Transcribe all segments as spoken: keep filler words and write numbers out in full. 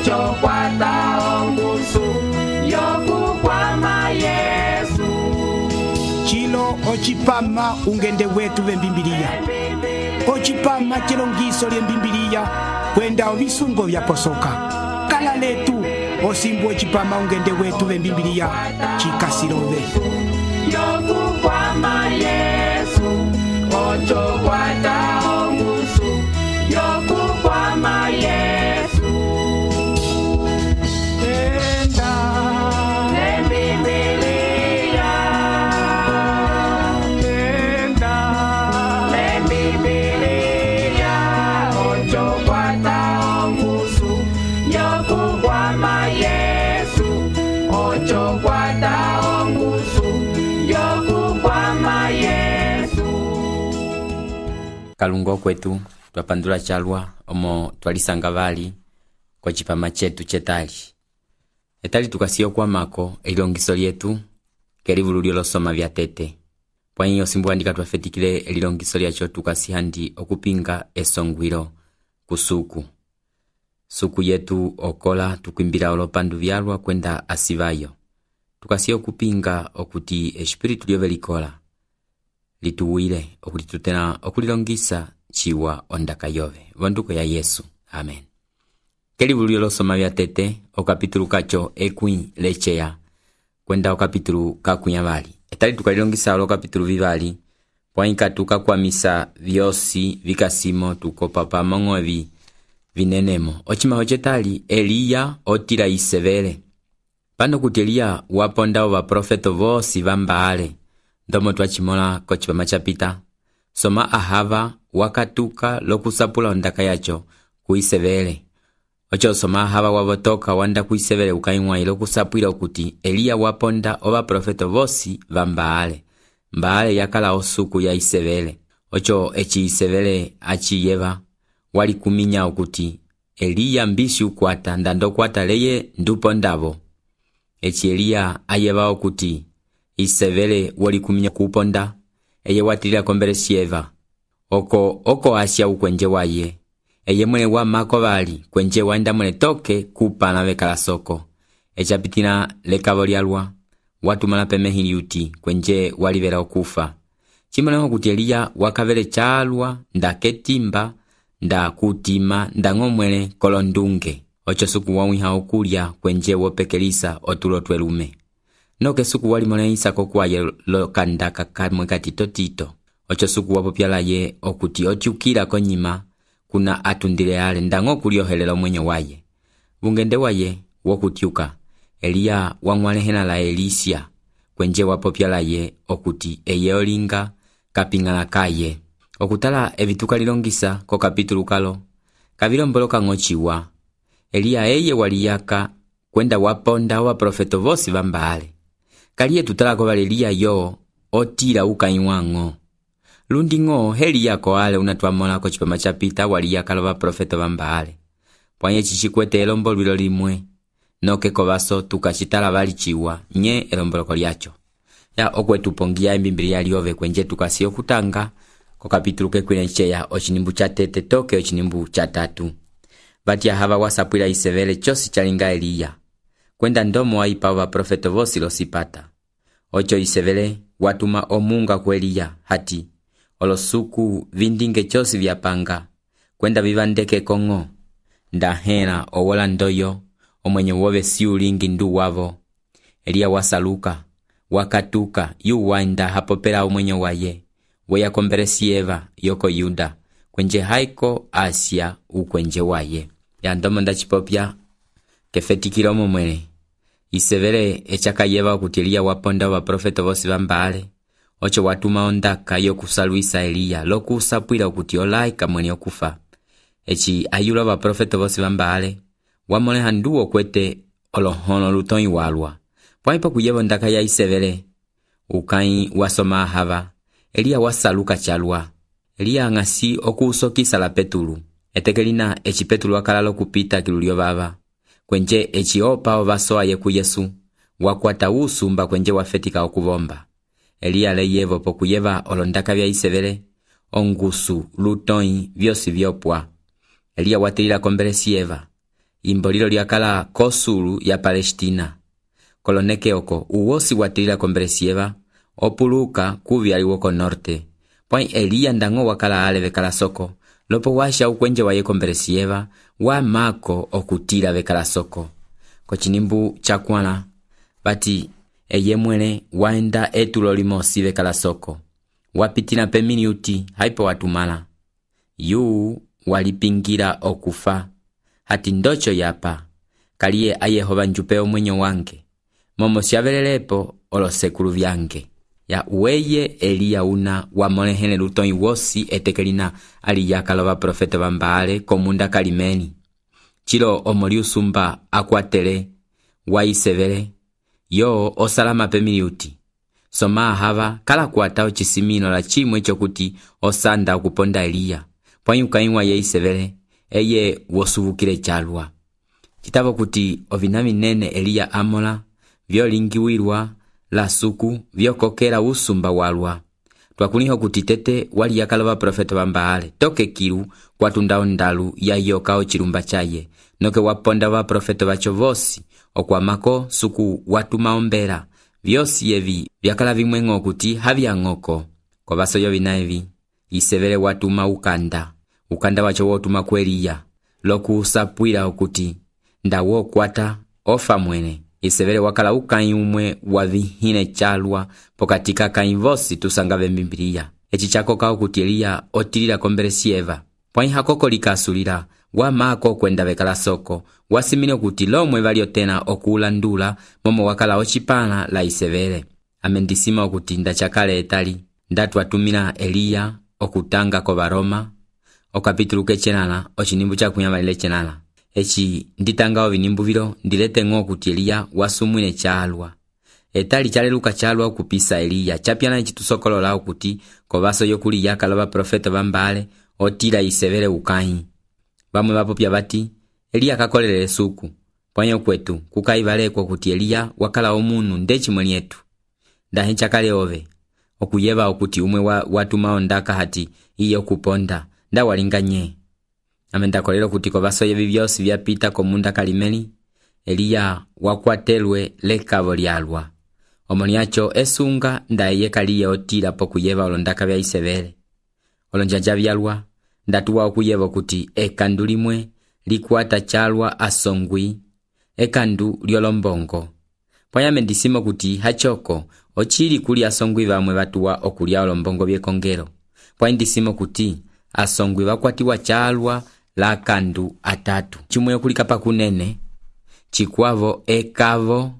ocho kwata ongusu yokukwama Yesu. Chilo ochipama ungende wetu vembimbilia. Ochipama chilongiso lye mbimbilia kwenda ovisungo vya posoka. Kala letu osimbu ochipama ungende wetu vembimbilia chikasilove. Yokukwama Yesu, ocho kwata ongusu yokukwama Yesu. Enda lembibilia, enda lembibilia, ocho kwata ongusu yokukwama Yesu, ocho kwata ongusu yokukwama Yesu. Kalungo kwetu twapandula chalwa omo twalisanga vali kwa chipama chetu chetali. Etali tukasiyo kwa mako elilongiso lyetu kelivulu lyolosoma vya tete. Kwa hiyo simbu andika twafetikile elilongiso lyacho tukasihandi okupinga esongwilo kusuku. Suku yetu okola tukimbira olopandu vyalwa kwenda asivayo. Tukasiyo kupinga okuti espiritu lyove likola lituwile okuti tutena okulilongisa chiwa ondaka yove vonduko ya Yesu. Amen. Kelivulu lyolosoma vya tete okapitulu kacho ekwi lechea kwenda okapitulu kakunyavali. Etali tukalilongisa olo kapitulu vivali poinka tukakwamisa vyosi vikasimo tukopa pamongo evi vinenemo. Ochima ochetali Eliya otila isevele. Pano kuti Eliya waponda ova profeto vosi vambaale. Ndomo twachimola kochipama chapita. Soma Ahava wakatuka lokusapula ondaka yacho kuisevele. Ocho soma Ahava wavotoka wanda kuisevele ukaimwa ilo kusapwila okuti Eliya waponda ova profeto vosi vambaale. Mbaale yakala osuku ya isevele. Ocho echi isevele achi yeva wali kuminya okuti Eliya mbisi ukwata ndando kwata leye ndupo ndavo. Echi Eliya ayeva okuti isevele wali kuminya kuponda eye watilila kombele sieva. Oko oko asya ukwenje waye. Eye mwene wa mako vali kwenje wanda mwene toke kupana vekala soko. Echapitina lekavo lyalwa watu malapemehini yuti kwenje walivela okufa. Chimoneho kuti Eliya wakavele chalwa nda ketimba nda kutima nda ngomwele kolondunge. Ocho suku wawiha okulya kwenje wopekelisa otulo twelume. Noke suku wali mone Isako kwaye lokandaka kamwe katito tito. Ocho suku wapopyala ye okuti otiukila konyima kuna atundile ale ndango kuliohelela mwenye waye. Vungende waye wokutiuka Eliya wangwalehena la Elisia kwenje wapopyala ye okuti eye olinga kapingala kaye. Okutala evituka lilongisa ko kapitulu kalo kavilomboloka ngochiwa Eliya eye waliyaka kwenda waponda wa profeto vosi vambaale. Kaliye tutalako vale Eliya yo otila ukaiwango. Lundi ngo heli yako ale unatuamola ko chipama chapita waliyaka lova profeto vambaale. Pwanye chichikwete elombolwilo limwe noke kovaso tukachitala vali chiwa nye elomboloko lyacho. Ya okwe tupongia mbimbilia liove kwenje tukasiyo kutanga ko kapitulu kekwinecheya ochinimbu cha tete toke ochinimbu cha tatu. Bati Ahava wasapwila isevele chosi chalinga Eliya. Kwenda ndomo waipa wa profeto vosi losipata. Ocho isevele watuma omunga kwa Eliya hati olosuku vindinge chosi vyapanga kwenda vivandeke kongo. Ndahena owola ndoyo omwenye wove siulingi ndu wavo. Eliya wasaluka wakatuka yu wanda hapopela omwenye waye weya komberesi Eva yoko Yuda kwenje haiko Asia ukwenje waye. Ya ndomo ndachipopya kefetikila omo mwene isevele echaka yeva kuti Eliya waponda wa profeto vosi vambaale. Ocho watuma ondaka yokusaluisa Eliya lokusapwila okuti olaika mwene okufa. Echi ayula wa profeto vosi vambaale wamoleha nduo kwete olohono lutoi walwa. Pwaipo kuyeva ondaka ya isevele ukai wasoma Ahava Eliya wasaluka chalwa. Eliya ngasi okusokisa la Petulu. Etekelina echi Petulu wakalalo kupita kilulio vava. Kwenje echi opa ovasoa yeku Yesu wakwata usumba kwenje wafetika okuvomba. Eliya leyevo pokuyeva olondaka vya isevele ongusu lutoi vyosi vyopwa. Eliya watilila kombelesi Eva imbolilo lyakala kosulu ya Palestina. Koloneke oko uwosi watilila komberesieva opuluka kuvyali woko norte. Pwai Eliya ndango wakala ale vekala soko, lopo washa ukwenje waye komberesieva wa mako okutila vekala soko. Kochinimbu chakwala bati eye mwene waenda etulo limosi vekala soko. Wapitina pe minuti haipo watumala. Yu walipingira okufa. Hati ndocho yapa kaliye ayehova njupeo mwenyo wange. Momo siavelelepo olosekulu vyange. Ya uweye Eliya una wamolehene lutoi wosi etekelina aliyakaloba profeta bambale komunda kalimeni. Chilo omoli usumba akwatele wa isevele yo osalama pe minuti. Soma hava kala kuatao chisimino la chimwe chokuti osanda okuponda Eliya. Pwanyukainwa ye isevele eye wosuvukile chalwa. Kitabo kuti ovinami nene Eliya amola vyolingiwirwa la suku vyokokela usumba walwa. Twakuliho kuti tete wali yakaloba profeta bambale toke kilu kwatundao ndalu ya yokao chilumba chaye noke waponda wa profeta bacho vosi okwamako suku watu maombera vyosi yevi vyakala vimwengo kuti havya ngoko. Kwa baso yo vinaevi isevele watu maukanda ukanda wacho wotu makweliya loku usapwila okuti ndawo kwata ofa mwene. Isevele wakala ukai umwe wavihine chalwa pokatika kainvosi tusangave mbimbiliya. Echi chako kao kuti Eliya otilila komberesieva. Pwai hakoko likasulila wa mako kwenda vekala soko. Wasimino kuti lomwe valio tena okulandula momo wakala ochipana la isevele. Amendisima okuti ndachakale etali ndatu watumila Eliya okutanga ko Baroma. Okapituluke chenala ochinimbu cha kunyamalile chenala. Echi nditangao vinimbu vilo ndilete ngo kuti Eliya wasumwine chalwa. Etali chaleluka chalwa kupisa Eliya. Chapiana chitusokolola kuti kobaso yokuli yakaloba profeta bambale otila isevele ukai. Bamwe bapopya bati Eliya kakolele suku. Pwanyo kwetu kukaivalekwa kuti Eliya wakala omunu ndechi mwenietu. Ndahe chakale ove okuyeva okuti umwe wa, watu maondaka hati iyo kuponda nda walinganye. Amenda kolelo kuti kobaso yevi vyosi vyapita komunda kalimeli Eliya wakwatelwe lekavo lyalwa. Omoniacho esunga ndaye kaliye otila pokuyeva olondaka vya isevele. Olonjanja vyalwa ndatuwa okuyeva kuti ekandulimwe likwata chalwa asongwi ekandu lyolombongo. Pwaya mendisimo kuti hachoko ochili kuli asongwi vamwe batuwa okulia olombongo byekongero. Pwaya ndisimo kuti asongwi wakwatiwa chalwa la kandu atatu. Chimwe okulika pa kunene chikwavo ekavo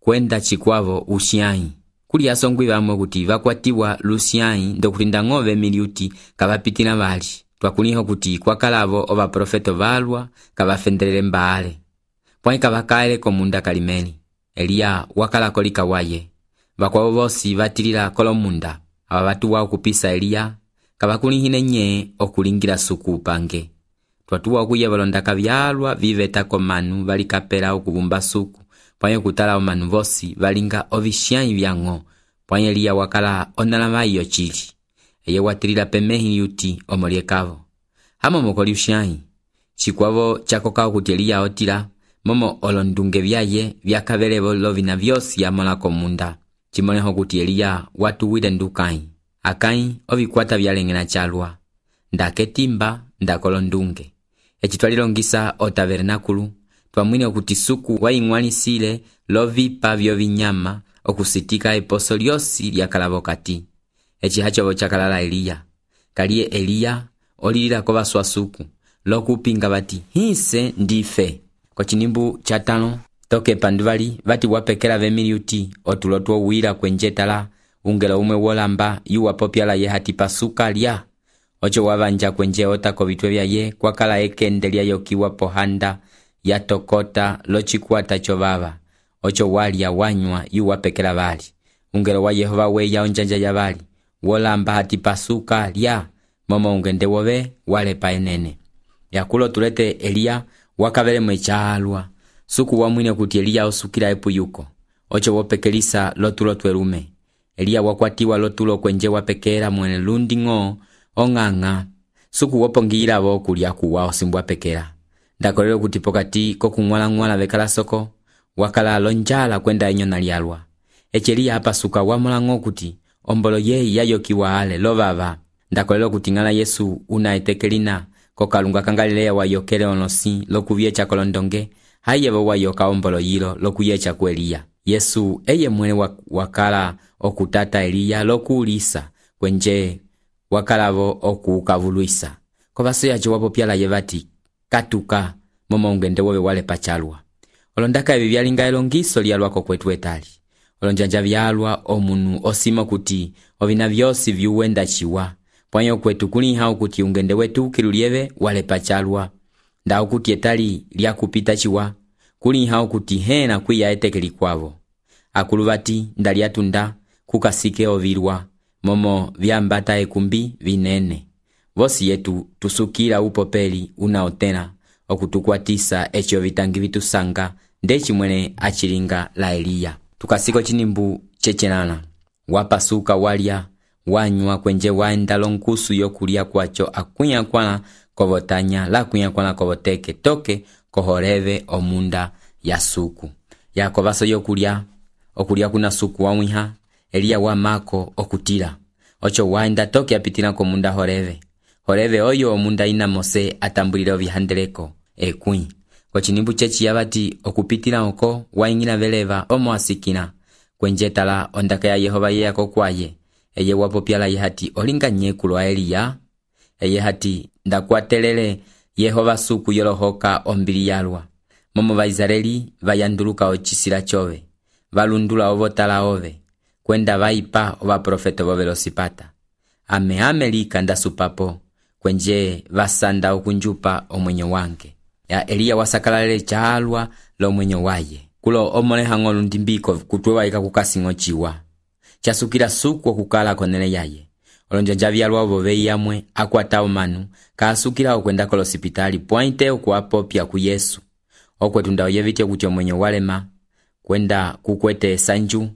kwenda chikwavo usiai. Kuli asongwi vamwe kuti vakwatiwa lusiai ndokulinda ngove miliuti kabapitina bali. Twakuliho kuti kwakalavo oba profeto valwa kabafendelele mbale. Pwai kabakaele komunda kalimeli. Eliya wakala kolika waye. Bakwa vosi vatilila kolomunda. Aba batu wa kupisa Eliya kabakulihine nye okulingira suku upange. Twatuwa okuye balondaka byalwa viveta komanu balikapela okubumba suku. Pwai kutala omanu vosi balinga ovishiai byango. Pwai Eliya wakala onalama iyo chili. Eye watilila pemehi yuti omoliekavo. Hamo mokoli ushiai. Chikwavo chakokao kuti Eliya otila momo olondunge vyaye vyakabelevo lovina vyosi ya mola komunda. Chimoneho kuti Eliya watu wile ndukai. Akai ovikwata vyalengena chalwa. Ndaketimba ndakolondunge. Echitwalilongisa o tabernakulu. Twamwine okuti suku waingwanisile lovipa vyo vinyama okusitika eposo lyosi lyakalabokati. Echi hachovo chakalala Eliya. Kaliye Eliya olilila kobaswa suku. Lokupinga bati hise ndife. Kwa chinimbu chatano toke panduvali bati wapekela vemiliuti otulotuo uwila kwenjetala ungela umwe wolamba yuwa popyala ye hati pasuka lya. Ocho wabanja kwenje otako vitwe vya ye kwa kala ekendelia yokiwa pohanda ya tokota lochikuata chovava. Ocho wali ya wanywa yuwa pekela bali. Ungela wa Yehova we ya onjanja ya bali. Wolamba hati pasuka lya momo ungende wobe wale paenene. Yakulo tulete Eliya wakabele mwechalwa. Suku wamwine kuti Eliya osukila epu yuko. Ocho wopekelisa lotulo twerume. Eliya wakwatiwa lotulo kwenje wapekela mwene lundi ngo onganga. Suku wopongila voku liya kuwa osimbwa pekela. ndakolera kuti pokati kokung'wala-ng'wala vekala soko wakala lonjala kwenda enyona lyalwa. Eci Eliya apasuka wamulang'o kuti ombolo yeyi yayokiwa ale lovava. Ndakolera kuti ng'ala Yesu una etekelina kokalunga ka Galileya wayokele onosi lokuvyecha kolondonge hayevo wayoka ombolo yilo lokuyecha ku Eliya. Yesu eye mwene wakala okutata Eliya lokuulisa kwenje wakalavo okukavuluisa. Kovaso yacho wapopyala yevati katuka momo ungende wobe wale pachalwa. Olondaka ebi byalinga elongiso lyalwako kwetu etali. Olonjanja byalwa omunu osimo kuti obina byosi byuwenda chiwa. Pwanyo kwetu kuliha kuti ungende wetu kilulieve wale pachalwa. Ndao kuti etali lya kupita chiwa. Kuliha kuti hena kuya etekeli kwavo. Akuluvati ndaliatunda kukasike ovirwa momo vyambata ekumbi vinene. Vosi yetu tusukira upopeli unaotena okutukwatisa echo vitangi vitusanga ndechi mwene achilinga la Eliya. Tukasiko chinimbu chechenana. Wapasuka walya wanywa kwenje waenda lonkusu yokulia kwacho akunya kwana kovotanya la kunya kwana kovoteke toke kohoreve omunda ya suku. Yakovaso yokulia okulia kuna suku wamwiha Eliya wamako okutila. Ocho waenda toke apitila komunda horeve. Horeve oyo omunda ina Mose atambulile ovihandeleko ekui. Kwa chinimbu chechi yabati okupitila oko waingina veleva omo asikina. Kwenjetala ondaka ya Yehova ye yako kwaye. Eye wapopyala yehati olinga nyekulu wa Eliya. Eye hati ndakwatelele Yehova suku yolohoka ombili yalwa. Momo va Israeli vayanduluka ochisila chove. Valundula ovotala ove. Kwenda vaipa ova profeto vovelosipata. Ame amelika ndasupapo. Kwenje vasanda okunjupa omwenyo wange. Ya Eliya wasakalalele chalwa lo mwenyo waye. Kulo omole hangolu ndimbiko kutwewa ika kukasingo chiwa. Chasukira suku okukala konene yaye. Olonjanja vyalwa ovove yamwe akwata omanu. Kaasukira okwenda kolosipitali pointe okuapopya ku Yesu. Okwetunda oyevite kuti omwenyo walema. Kwenda kukwete sanju.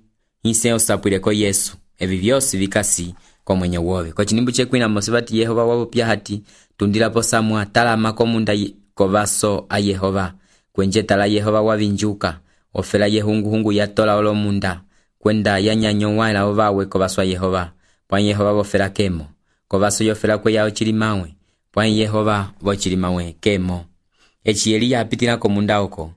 Nse osapwileko Yesu. Evi vyosi vikasi kwa mwenye wove. Kwa chinimbu chekwina mosibati Yehova wapopya hati. Tundila posamwa tala makomunda kovaso a Yehova. Kwenje tala Yehova wavinjuka. Ofela yehungu hungu yatola olomunda. Kwenda yanyanyo waila ovawe kovaso a Yehova. Pwan Yehova wofela kemo. Kovaso yofela kwe yao chilimawe. Pwan Yehova wochilimawe kemo. Echi Eliya apitila komunda oko.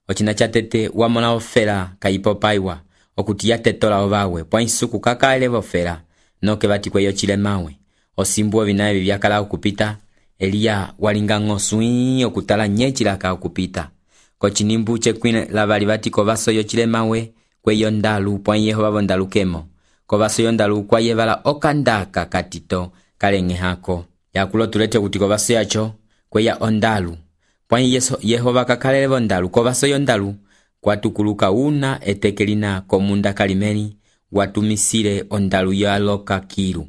Ochina chatete wamona ofela kaipopaiwa. Okuti yatetola ovawe. Pwan suku kakaele wofela. Noke bati kwe yochilemawe. Osimbuwa vinae vyakala okupita. Eliya walinga ngosui okutala nyechilaka okupita. Kochinimbu chekwine lavali bati kovaso yochilemawe kwe yondalu pwan Yehova vondalu kemo. Kovaso yondalu kwa yevala okandaka katito kalenge hako. Yakulo tulete kuti kovaso yacho kwe ya ondalu. Pwan yeso Yehova kakalele vondalu kovaso yondalu kwa tukuluka una etekelina komunda kalimeni watumisile ondalu ya loka kiru.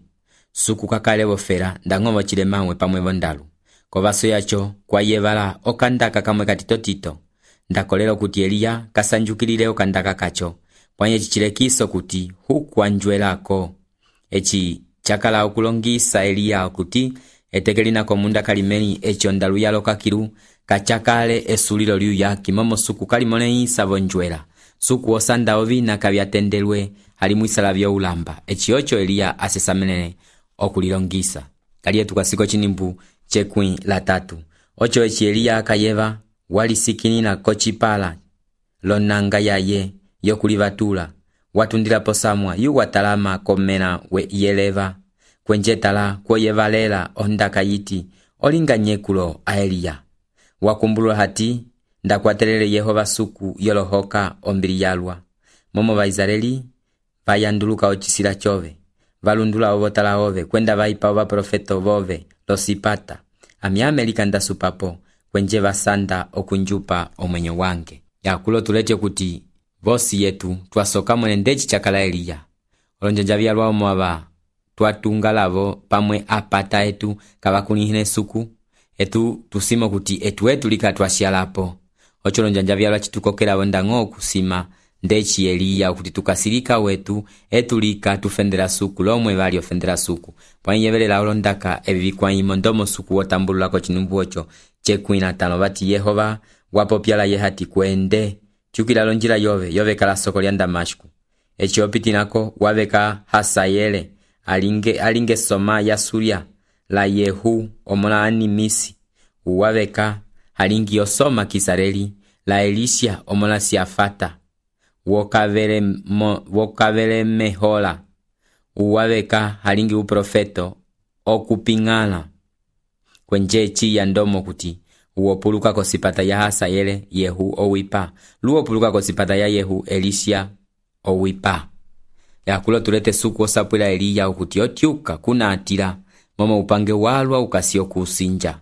Suku kakale wofera ndangovo chilemawe pamwe vondalu. Kovaso yacho kwa yevala okandaka kamwe katito tito. Ndakolelo kuti Eliya kasanjukilile okandaka kacho. Pwanye chichilekiso kuti huku anjwelako. Echi chakala okulongisa Eliya kuti etekelina komunda kalimeni echi ondalu ya loka kiru kachakale esulilo liu yaki momo suku kalimone isa vonjwela. Suku osanda ovina kabyatendelwe halimwisala vyo ulamba. Echi ocho Eliya asesamenene okulilongisa. Kaliye tukasiko chinimbu chekwi la tatu. Ocho echi Eliya akayeva walisikinina kochipala lonanga yaye yokulivatula. Watundila posamwa yu watalama komena we yeleva. Kwenjetala kwe yevalela ondaka yiti olinga nyekulo a Eliya. Wakumbulu hati ndakwatelele Yehova suku yolohoka ombili yalwa. Momo va Israeli vayanduluka ochisila chove. Valundula ovotala ove kwenda vaipa ova profeto vove losipata. Ami Amerika ndasupapo kwenje vasanda okunjupa omwenyo wange. Yakulo tulete kuti vosi yetu twasoka mwene ndechi chakala Eliya. Olonjanja vyalwa omwava twatunga lavo pamwe apata etu kavakunihine suku. Etu tusimo kuti etu etu lika twashialapo. Ocho lonjanja vyalwa chitukokela wenda ngo kusima ndeci Eliya okuti tukasilika wetu etulika tufendela suku lomwe vali ofendela suku pwanyevelela olondaka evi vikwaimo ndomo suku wotambululako chinumbu ocho chekumi na tano vati Yehova wapopyala ye hati kwende chukila lonjila yove yove kala soko lya Damashku echi opitinako waveka Hasayele alinge alinge soma ya Surya la Yehu omola animisi uwaveka halingi yosoma Kisareli la Elisha omola Siafata wokavele mo, wokavele mehola uwaveka halingi uprofeto okupingana kwenje chi ya ndomo kuti uopuluka kosipata ya Hasayele Yehu owipa luopuluka kosipata ya Yehu Elisha owipa yakulo tulete suku osapwila Eliya okuti otyuka kuna atila momo upange walwa ukasio kusinja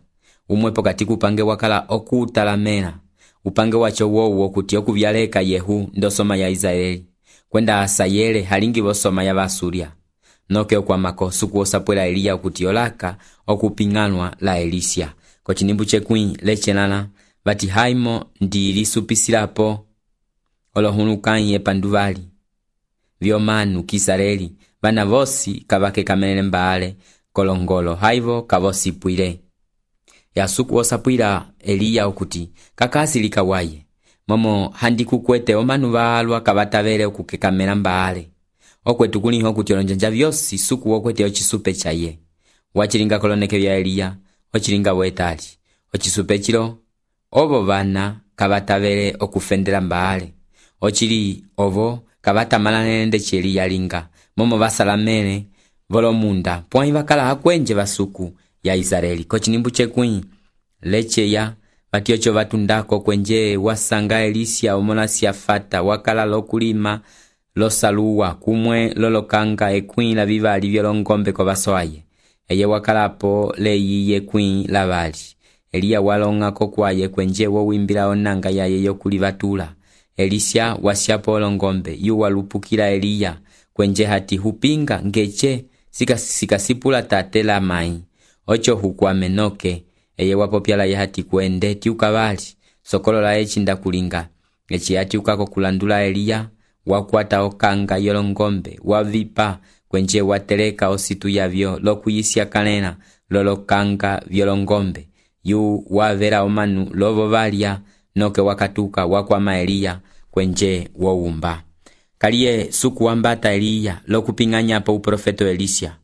umwepo katiku upange wakala okutalamela upange wacho wowo okuti okuvyaleka Yehu ndosoma ya Israeli kwenda Hasayele halingi bosoma ya Basuria noke okwamako suku osapwila Eliya okuti olaka okupinganwa la Elisha kochinimbu chekwi lechenana vati haimo ndi lisupisilapo olohunukanyi epanduvali vyomanu Kisareli vana vosi kavake kamelele mbaale kolongolo haivo kavosipwile yasuku osapwila Eliya okuti kakasilika waye momo handikukwete omanu valwa kavatavele okukekamela mbaale okwetu kuliho kuti olonjanja vyosi suku okwete ochisupe chaye wachilinga koloneke vya Eliya ochilinga wetali ochisupe chilo ovo vana kavatavele okufendela mbaale ochili ovo kavatamalane nende Eliya linga momo vasalamele volomunda pwai vakala akwenje vasuku ya Israeli kochinimbu chekwi lecheya vatiocho vatundako kwenje wasanga Elisha omola Siafata wakala lokulima losaluwa kumwe lolokanga ekwi la vivali vyolongombe kwa vasoaye eye wakalapo leyiye kwi la vali Eliya walongako kwaye kwenje wo wimbila onanga yaye yokulivatula Elisha wasyapo olongombe yu walupukila Eliya kwenje hati hupinga ngeche sikasipula tate la mai ocho hukwame noke eye wapopyala ye hati kwende tiukavali sokolo la echinda kulinga echi hati ukako kulandula Eliya wakwata okanga yolongombe wavipa kwenje wateleka ositu yavyo lokuyisya kanena lolokanga vyolongombe yu wavera omanu lovo valya noke wakatuka wakwama Eliya kwenje wowumba kaliye suku wambata Eliya lokupinganya po uprofeto Elisha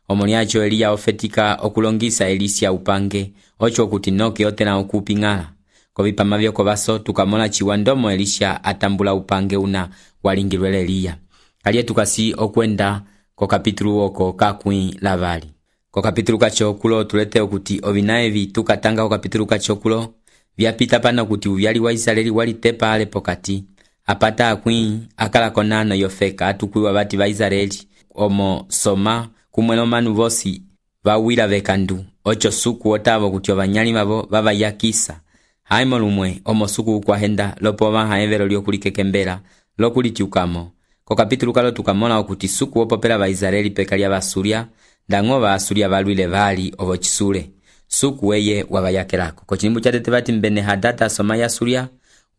omoniacho Eliya ofetika okulongisa Elisha upange ocho kuti noke otena okupingala kovipama vyoko baso tukamola chiwandomo Elisha atambula upange una walingilwele Eliya kaliye tukasi okwenda ko kapitulu oko kakwi lavali ko kapitulu kachokulo tulete okuti ovinaevi tukatanga ko kapitulu kachokulo vyapita pana kuti uvyali wa Israeli walitepa ale pokati apata akwi akala konano yofeka atukwiwa bati ba Israeli omo soma kumwelo manu vosi vawila vekandu ocho suku otavo kuti ovanyali mavo vava yakisa haimo lumwe omo suku kwa henda lopo vaha evero lyokulikekembela lokulitiukamo ko kapitulu kalo tukamola okuti suku opopela ba Israeli pekalia basuria ndango ba asuria valwile vali ovo chisule suku eye wavayakelako ko chinimbu chatete vati mbene hadata soma ya Suria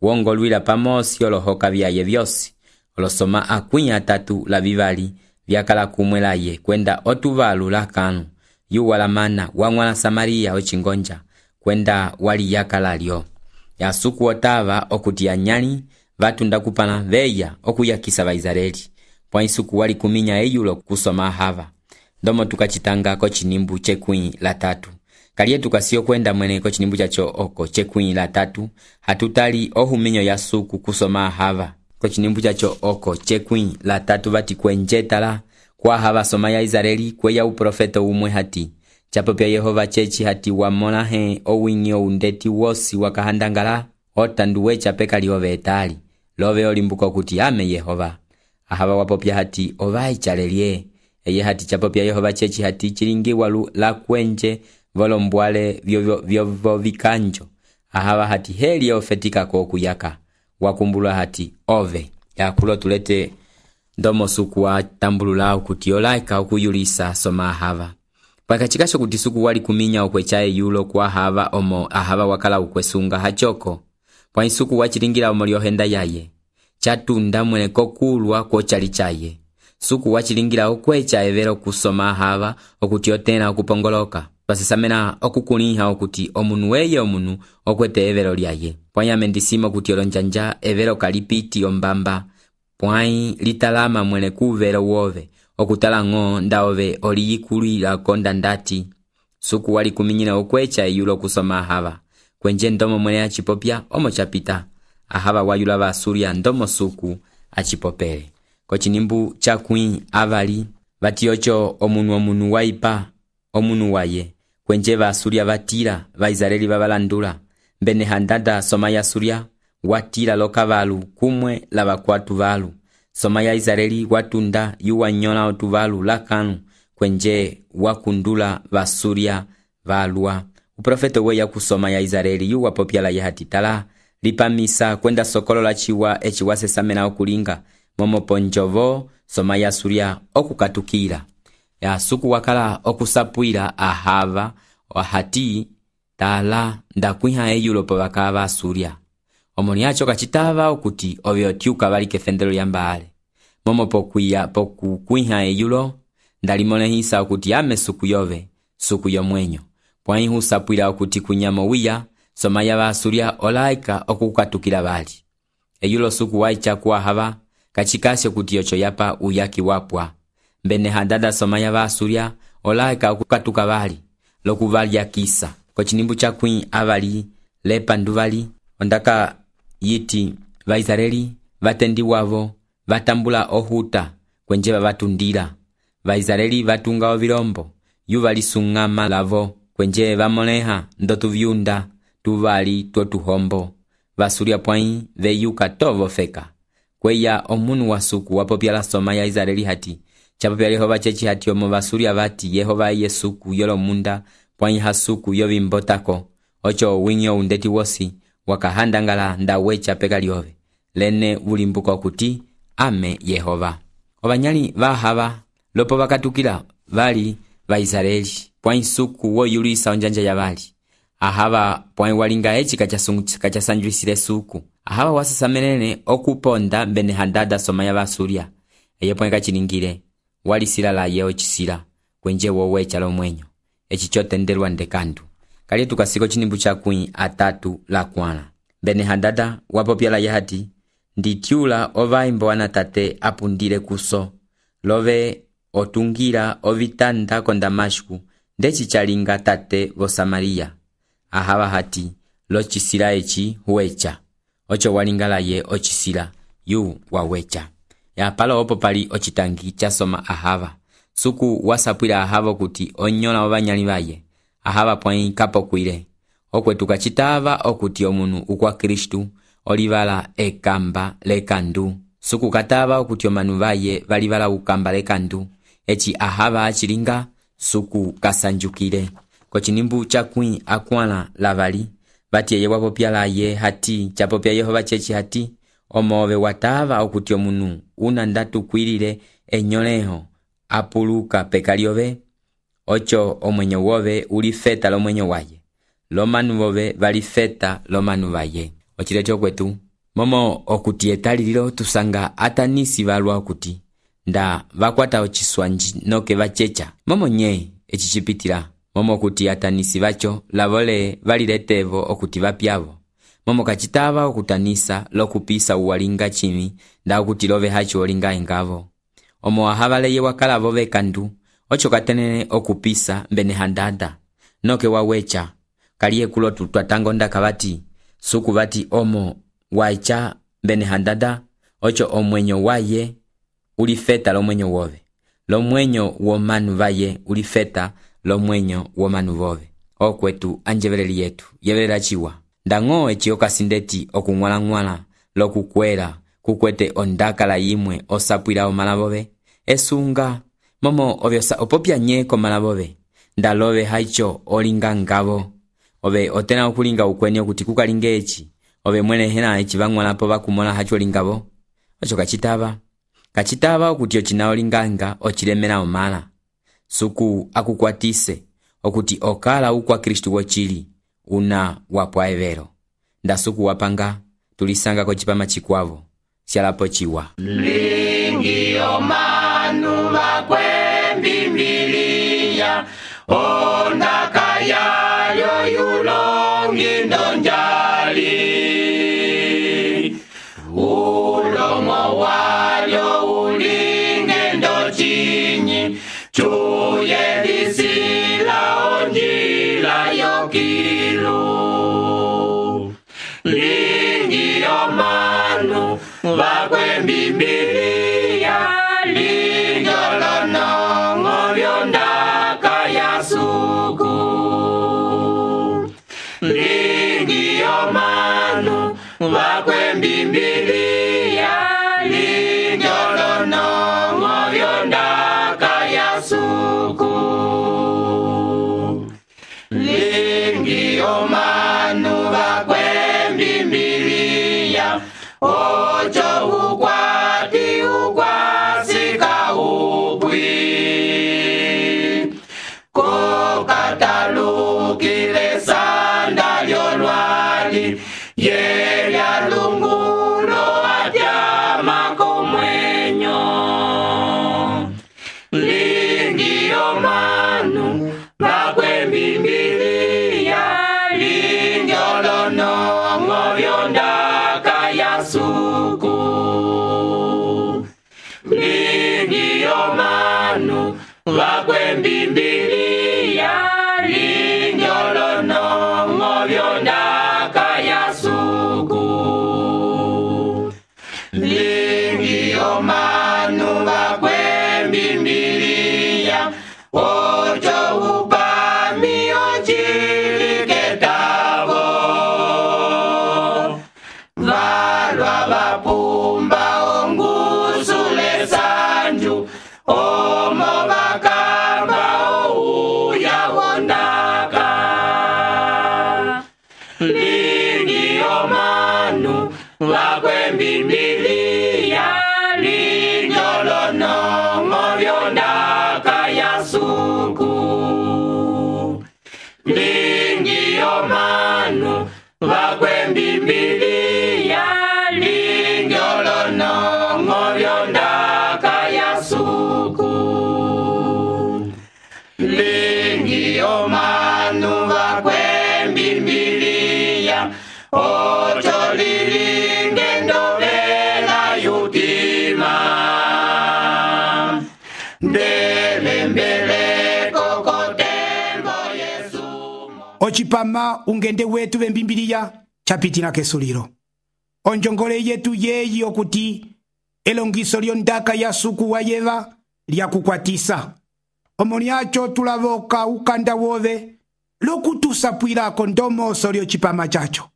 wongolwila pamosi olohoka vyaye vyosi olosoma akwi atatu la vivali vyakala kumwelaye kwenda otuvalu la kanu yu walamana wangwala Samaria ochingonja kwenda wali yakala lyo ya suku otava okuti anyali vatunda kupana veya okuyakisa ba Israeli pwa isuku wali kuminya eyulo kusoma hava ndomo tukachitanga ko chinimbu chekwi la tatu kaliye tukasio kwenda mwene ko chinimbu chacho oko chekwi la tatu hatutali ohuminyo ya suku kusoma hava ko chinimbu chacho oko chekwi la tatu vati kwenjetala kwa hava soma ya Israeli kweya uprofeto umwe hati chapo pya Yehova chechi hati wamona he owinyo undeti wosi wakahandangala otanduwe chapeka liove etali love olimbuko kuti ame Yehova ahava wapopya hati ovai chalelie eye hati chapo pya Yehova chechi hati chilingi walu la kwenje volombwale vyo vyo vyo vikanjo ahava hati heli ofetika ko kuyaka wakumbulwa hati ove yakulo tulete ndomo suku wa tambulula kuti olaika okuyulisa soma ahava pakachikasho kuti suku wali kuminya okwechaye yulo kwa hava omo ahava wakala ukwesunga hachoko pwa isuku wachilingira omo lyohenda yaye chatunda mwene kokulwa kochali chaye. Suku wachilingira okwecha evero kusoma ahava okuti otena okupongoloka. Twasesamena okukuliha okuti omunu weye omunu okwete evero lyaye. Pwai amendisimo kuti olonjanja evero kalipiti ombamba. Pwai litalama mwene kuvero wove okutala ng'o nda ove oliyikulila konda ndati. Suku wali kuminyina okwecha eyulo kusoma ahava. Kwenje ndomo mwene achipopya omo chapita. Ahava wayula va Asuria ndomo suku achipopele. Kochinimbu chakwi avali vati ocho omunu omunu waipa omunu waye. Kwenje va Asuria vatira va Israeli vabalandula. Mbene handada soma ya Asuria watira lokavalu kumwe lava kwatu valu. Soma ya Israeli watunda yuwa nyola otuvalu lakanu kwenje wakundula va Asuria valua. Uprofeto we ya kusoma ya Israeli yuwa popyala ya hatitala lipamisa kwenda sokolo la chiwa echi wasesamena okulinga momo ponjovo soma ya Asuria okukatukira. Ya suku wakala okusapuira ahava wahati tala ndakwiha eyulo po bakava Asuria. Omoni acho kachitava okuti ovyo tiuka bali kefendelo yambale. Momo pokuya poku kwiha eyulo ndalimone hisa okuti ame suku yove suku yomwenyo. Pwai husapuira okuti kunyamo wiya soma ya ba Asuria olaika okukatukira bali. Eyulo suku waicha kuwa hava kachikasyo kuti ocho yapa uyaki wapwa. Mbene handada soma ya ba Asuria olaika okukatuka bali lokuvali ya kisa. Kochinimbu chakwi avali lepa nduvali ondaka yiti va Israeli vatendi wavo vatambula ohuta kwenje vavatundira. Va Israeli vatunga ovilombo yuvali sungama lavo kwenje vamoleha ndotu vyunda tuvali tuotuhombo. Va Asuria pwai veyuka tovo feka. Kweya omunu wa suku wapopyala soma ya Israeli hati chapopyala Yehova chechi hati omo va Asuria vati Yehova iye suku yolo munda pwai hasuku yovimbotako ocho winyo undeti wosi wakahandangala ndawecha peka liove lene ulimbuko kuti ame Yehova. Obanyali vahava lopo vakatukila vali va Israeli pwai suku wo yulisa onjanja ya vali. Ahava pwai walinga echi kachasanjuisile suku. Ahava wasasamenene okuponda mbene handada soma ya Asuria. Eye pwai kachiningile wali sila la yeo chisila kwenje wowecha lo mwenyo. Echi chote ndelwa ndekandu. Kali tukasiko chinimbu chakwi atatu la kwana. Mbene handada wapopyala yahati nditiula ovaimbo wanatate apundile kuso. Love otungira ovitanda konda mashku ndechi chalinga tate vo Samaria. Ahava hati lo chisila echi huwecha. Ocho walingala ye ochisila yu wawecha. Ya palo opo pali ochitangi chasoma ahava. Suku wasapwila ahava kuti onyola obanyali baye. Ahava pwai kapo kuile. Okwe tukachitava okuti omunu ukwa Kristu olivala ekamba lekandu. Suku katava okuti omanu baye valivala ukamba lekandu. Echi ahava achilinga suku kasanjukile. Kochinimbu chakwi akwana lavali. Bati eye wapopyala ye hati chapopya Yehova chechi hati omove watava okuti omunu unandatu kwilile enyoleho apuluka pekaliove. Ocho omwenyo wove ulifeta lo mwenyo waye. Lomanu wove valifeta lomanu vaye. Ochilecho kwetu momo okuti etalililo tusanga atanisi valwa okuti nda vakwata ochiswanji noke vachecha. Momo nye echichipitila momo okuti atanisi vacho lavole valiletevo okuti vapyavo. Momo kachitava okutanisa lokupisa uwalinga chimi nda okuti love hachi olinga engavo. Omo ahavaleye wakala vove kandu. Ocho katenene okupisa mbene handada noke wawecha kaliye kulo tutwatango ndaka vati suku vati omo waicha mbene handada. Ocho omwenyo waye ulifeta lo mwenyo wove. Lo mwenyo womanu vaye ulifeta lo mwenyo womanu vove. Okwetu anjeveleli yetu yevelela chiwa ndango echi okasindeti okungwala ngwala lokukwela kukwete ondaka la yimwe osapwila omala vove esunga. Momo ovyosa opopya nye komala vove ndalove haicho olinga ngavo. Ove otena okulinga ukwenye kuti kukalinge echi ove mwene hena echi vangwalapo vakumola hacho lingavo. Ocho kachitava kachitava okuti ochina olinganga ochilemela omala. Suku akukwatise okuti okala ukwa Kristu wochili una wapwa evero. Nda suku wapanga tulisanga kochipama chikwavo syalapochiwa. Lingi omanu vakwe Biblia ondaka yayo yulongi ndonjali ulomo walyo ulinge ndochinyi chuye lisila onjila yokilu lingi omanu vakwe Biblia linjolonongo vyondaka yasuku lingi omanu vakwe Biblia linjolonongo vyondaka yasuku lingi omanu vakwe Biblia ocho ukwati ukwasika upwi kokatalukile sanda lyolwali yelya lungulo atyama komwenyo lingi omanu vakwe Biblia linjolonongo vyondaka yasuku lingi omanu vakwe Biblia linjolonongo vyondaka yasuku lingi omanu vakwe Biblia ocho upami ochiliketavo valwa vapumba ongusule sanju omo vakamba ouya wondaka lingi omanu vakwe Biblia linjolonongo vyondaka yasuku lingi omanu vakwe Biblia linjolonongo vyondaka yasuku lingi omanu vakwe Biblia ocho lilinge ndovela yutima ndelembeleko kotembo Yesu ocipama ungende wetu vembimbiliya capitila kesulilo onjongole yetu yeyi okuti elongiso lyondaka yasuku wa yeva lyakukwatisa omo lyaco tulavoka ukanda wove lokutusapwilako ndomoso lyocipama caco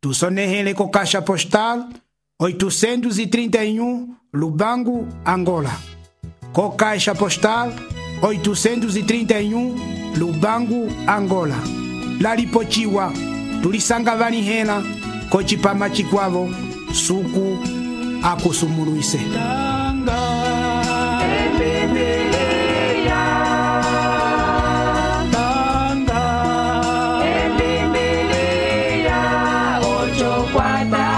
tusonehele ko caixa postal oitocentos e trinta e um Lubango, Angola. Co caixa postal oitocentos e trinta e um Lubango, Angola. Lalipochiwa tulisanga vanihela ko cipama cikwavo suku akusumuluise. What